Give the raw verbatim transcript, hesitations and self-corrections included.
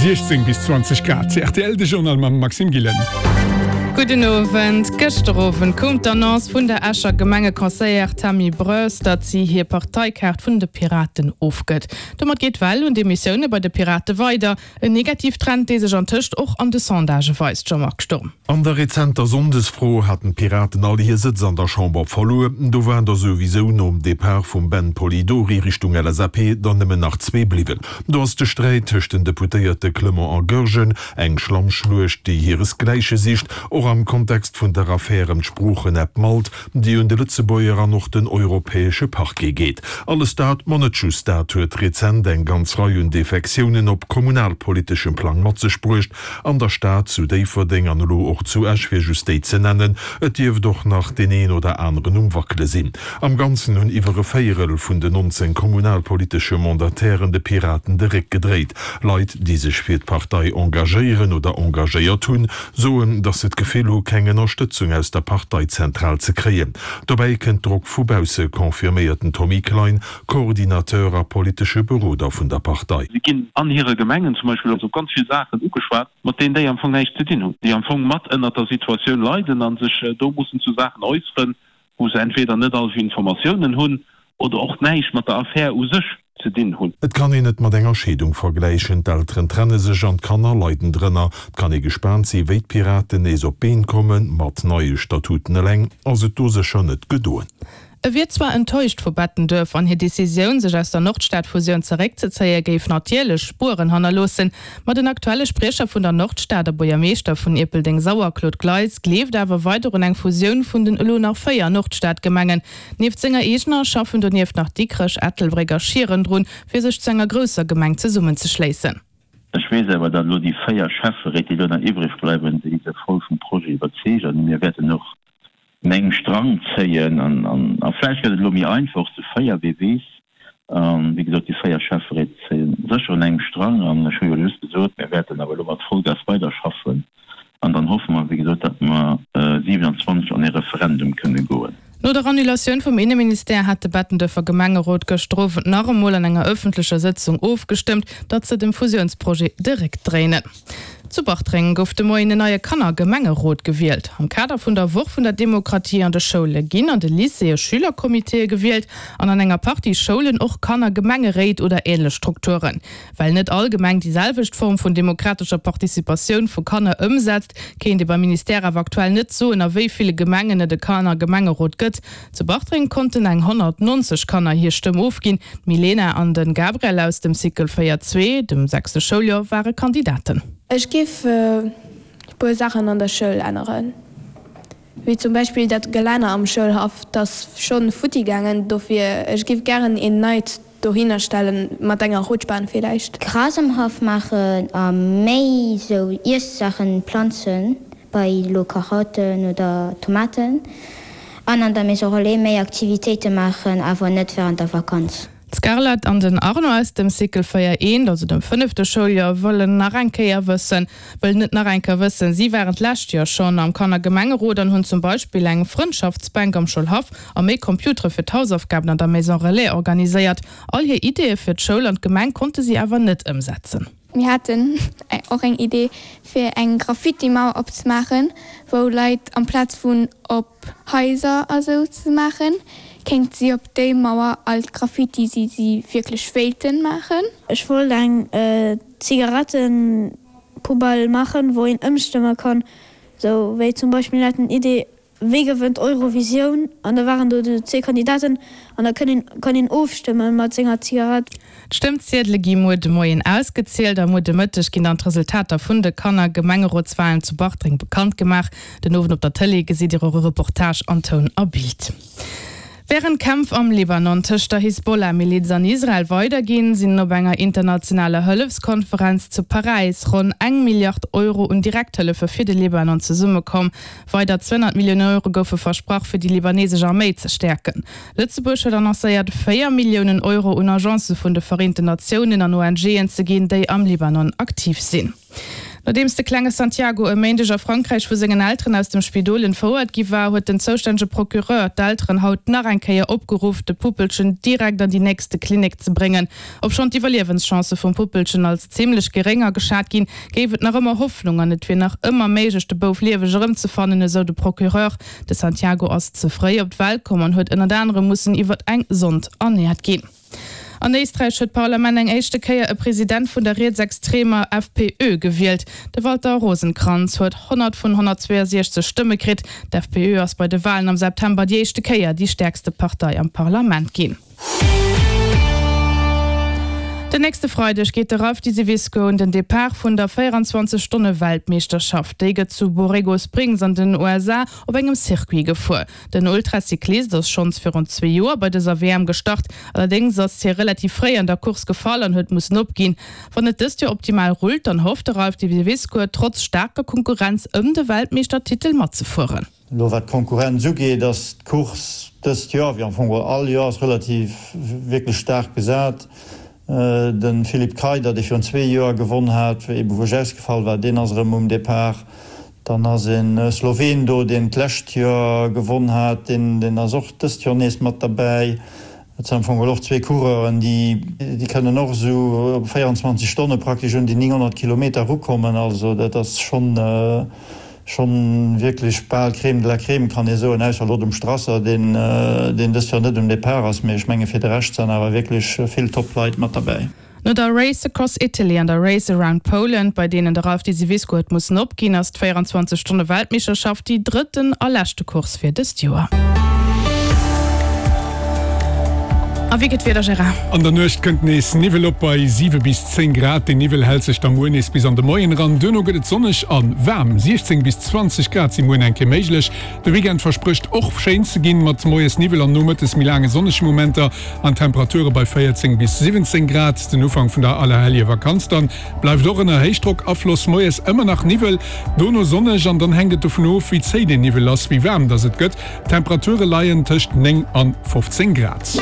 siechzéng bis zwanzeg Grad. Rtl, de Journal mam Maxime Gillen. Gudden Owend. Gëschter Owend koum d'Annonce vun der Escher Gemengeconseillère Tammy Broers, datt si hir Parteikaart vun de Piraten ofgëtt. Domat geet d'Well un Demissioune bei de Pirate weider. En Negativtrend, dee sech antëscht och an de Sondagë weist, Jean-Marc Sturm. An der rezenter Sonndesfro haten d'Piraten all hir Sëtz an der Chamber verluer. Do waren der souwisou nom Depart vum Ben Polidori Richtung L S A P der nëmmen nach zwee bliwwen. Do ass de Sträit tëscht den Deputéierte Clement a Goergen eng Schlammschluecht, déi hiresgläiche sicht, och am Kontext vun der Affär ëm d'Sproochen-App Malt, déi un de Lëtzebuerger an och den europäesche Parquet geet. Alles dat, ma net just dat, huet rezent eng ganz Rei un Defektiounen op kommunalpoliteschem Plang mat sech bruecht, an der Stad, zu Déifferdeng an elo och zu Esch, fir just déi ze nennen. Et dierft och nach deen een oder aneren um Wackele sinn. Am Ganzen hunn iwwer e Véierel vun den nonzéng kommunalpolitesche Mandatairen de Piraten de Réck gedréit. Leit, déi sech fir d'Partei engagéieren oder engagéiert hunn, soen, datt se d'Gefill hu keng Ënnerstëtzung aus der Parteizentral ze kréien. Dobäi kënnt Drock vu bausse, confirméiert den Tommy Klein, Coordinateur a politesche Beroder vun der Partei. Si ginn an hire Gemengen zum Beispill op ganz vill Saachen ugeschwat, mat deenen déi am Fong näischt ze dinn hunn, déi am Fong mat ënnert der Situatioun leiden a sech do mussen zu Saachen äusseren, wou se entweder net all Informatiounen hunn oder och näischt mat der Affär u sech ze dinn hunn. Et kann een et mat enger Scheedung vergläichen, d'Elteren trenne sech an d'Kanner leiden drënner. Et kann ee gespaant si wéi d'Piraten nees op d'Been kommen, mat neie Statuten eleng ass et do sécher net gedoen. E wier zwar enttäuscht vu Bettenduerf an hir Decisioun, sech aus der Nordstad-Fusioun zeréckzezéie géif natierlech Spueren hannerloossen, ma den aktuelle Spriecher vun der Nordstad a Buergermeeschter vun Ierpeldeng-Sauer, Claude Gleis, gleeft awer weider un eng Fusioun vun den elo nach véier Nordstad-Gemengen. Nieft senger eegener schaffen donieft nach Dikrech, Ettelbréck a Schieren drun, fir sech zu enger grousser Gemeng zesummenzeschléissen. Ech weess awer, datt elo déi véier Schäfferéit, déi elo nach iwwreg bleiwen, déi se voll vum Projet iwwerzeegt an mir wäerten och un engem Strang zéien an a vläicht gëtt et elo méi einfach zu véier, wee weess. Wéi gesot, déi véier Schäfferéit zéien sécher un engem Strang an ech hu jo just gesot, mir wäerten awer elo mat Vollgas weiderschaffen an dann hoffe mer, wéi gesot, datt mer siwenanzwanzeg an ee Referendum kënne goen. No der Annulatioun vum Inneministère hat de Bettenduerfer Gemengerot gëschter Owend nach emol an enger ëffentlecher Sëtzung ofgestëmmt, datt se dem Fusiounsprojet de Réck dréinen. Zu Bartreng gouf de Moien en neie Kannergemengerot gewielt. Am Kader vun der Woch vun der Demokratie an de Schoule ginn an de Lycéeë Schülerkomiteeë gewielt an an enger Partie Schoulen och Kannergemengeréit oder änlech Strukturen. Well net all Gemeng déi selwecht Form vun demokratescher Participatioun vu Kanner ëmsetzt, kéint ee beim Ministère awer aktuell net soen, a wéi ville Gemengen et e Kannergemengerot gëtt. Zu Bartreng konnten eng honnert nonzeg Kanner hir Stëmm ofginn. D'Milena an de Gabriel aus dem Cycle véier zwee, dem sechste Schouljoer, ware Kandidaten. Ech géif e puer Saachen an der Schoul änneren, wéi zum Beispill dat Gelänner am Schoulhaff, 't ass schonn futti gaangen, dofir ech géif gären een neit dohinner stellen, mat enger Rutschbahn villäicht. Gras am Haff maachen a méi sou Iessaachen planzen, bei elo Karotten oder Tomaten, an an der Maison Relais méi Aktivitéite maachen, awer net wärend der Vakanz. D'Scarlett an den Arno aus dem Cycle véier eent, also dem fënnefte Schouljoer, wëllen nach eng Kéier wëssen, wëllen et nach eng Kéier wëssen. Si waren d'lescht Joer schonn am Kannergemengerot an hunn zum Beispill eng Frëndschaftsbänk am Schoulhaff a méi Computere fir d'Hausaufgaben an der Maison Relais organiséiert. All hir Ideeë fir d'Schoul an d'Gemeng konnte si awer net ëmsetzen. Mir haten och eng Idee fir eng Graffiti-Mauer opzemaachen, wou Leit amplaz vun op Haiser a sou ze maachen, kéint si op déi Mauer all d'Graffiti déi si wierklech wéilten maachen. Ech wollt eng Zigarettenpoubelle maachen, wou een ëmstëmme kann, sou wéi zum Beispill mir haten d'Idee Wie gewënnt Eurovisioun? An da waren do déi zwee Kandidaten an da kënn een, kann een ofstëmme mat senger Zigarett. D'Stëmmziedele gi muer de Moien ausgezielt a muer de Mëtteg ginn dann d'Resultater vun de Kanner-Gemengerotswalen zu Bartreng bekannt gemaach. Den Owend op der Tëlee gesitt Dir och e Reportage an Toun a Bild. Wärend d'Kämpf am Libanon tëscht der Hisbollah-Miliz an Israel weiderginn, sinn op enger internationaler Hëllefskonferenz zu Paräis ronn eng Milliard Euro un Direkthëllefe fir de Libanon zesummekomm. Weider zweehonnert Millioune Euro goufe versprach, fir déi libanesesch Arméi ze stäerken. Lëtzebuerg huet annoncéiert, véier Milliounen Euro un Agencë vun de Vereenten Natiounen an O N G'en ze ginn, déi am Libanon aktiv sinn. Nodeems de klenge Santiago e Méindeg a Frankräich vu sengen Elteren aus dem Spidol entfouert gi war, huet den zoustännege Procureur d'Elteren haut nach eng Kéier opgeruff, de Puppelchen direkt an déi nächste Klinik ze bréngen. Obschonn d'Iwwerliewenschancë vum Puppelchen als zimmlech geréng ageschat ginn, géif et nach ëmmer Hoffnung an et wier nach ëmmer méiglech, de Bouf lieweg erëmzefannen, esou de Procureur. De Santiago ass ze fréi op d'Welt komm an huet ënnert anerem mussen iwwer eng Sond ernäert ginn. An Éisträich huet d'Parlament eng éischte Kéier e President vun der rietsextremer FPÖ gewielt. De Walter Rosenkranz huet honnert vun honnertzweeënsechzeg Stëmme kritt. D'FPÖ ass bei de Walen am September déi éischte Kéier déi stäerkste Partei am Parlament ginn. Den nächste Freideg geet de Ralph Diseviscourt un den Depart vun der véierundzwanzeg Stonne Weltmeeschterschaft. Déi gëtt zu Borrego Springs an den U S A op engem Circuit gefuer. Den Ultracyclist ass schonns virun zwee Joer bei dëser W M gestart. Allerdéngs ass hie relativ fréi an der Course gefall an huet mussen opginn. Wann et dëst Joer optimal rullt, dann hofft de Ralph Diseviscourt trotz staarker Konkurrenz ëm de Weltmeeschtertitel matzefueren. Elo wat d'Konkurrenz ugeet, ass d'Course dëst Joer, wéi am Fong geholl all Joers, relativ wierklech staark besat. De Philipp Kreider, dee virun zwee Joer gewonn hat, ebe wou ech ausgefall war, deen ass erëm um Depart. Dann ass e Sloween do, deen d'lescht Joer gewonn hat, deen deen ass och dëst Joer nees mat derbäi. Et sinn am Fong geholl och zwee Coureuren, déi déi kënnen och esou op véierundzwanzeg Stonne praktesch un déi nénghonnert Kilometer erukommen. Also dat ass schonn schonn wierklech bal Crème de la Crème, kann ee soen, ausser elo dem Strasser, deen deen dëst Joer net um Depart ass. Mee ech menge fir de Rescht sinn awer wierklech vill Top-Leit mat derbäi. No der Race Across Italy an der Race Around Poland, bei deenen de Ralph Diseviscourt huet mussen opginn, ass d'véierundzwanzeg Stonne Weltmeeschterschaft déi drëtten a leschte Course fir dëst Joer. A wéi gëtt d'Wieder, Gérard? An der Nuecht kënnt nees Niwwel op bei siwe bis zéng Grad. Den Niwwel hält sech da muer nees bis an de Moien eran. Duerno gëtt et sonneg a waarm, siechzéng bis zwanzeg Grad si muer eng Kéier méiglech. De Weekend versprécht och schéin ze ginn, mat moies Niwwel an nomëttes méi laange sonnege Momenter an Temperature bei véierzéng bis siwwenzéng Grad. Den Ufank vun der Allerheljevakanz dann bleift och ënner Héichdrockafloss, moies ëmmer nach Niwwel, dono sonneg an dann hänkt et dovun of, wéi zéi den Niwwel ass, wéi waarm dass et gëtt. D'Temperature leien tëscht néng an fofzéng Grad.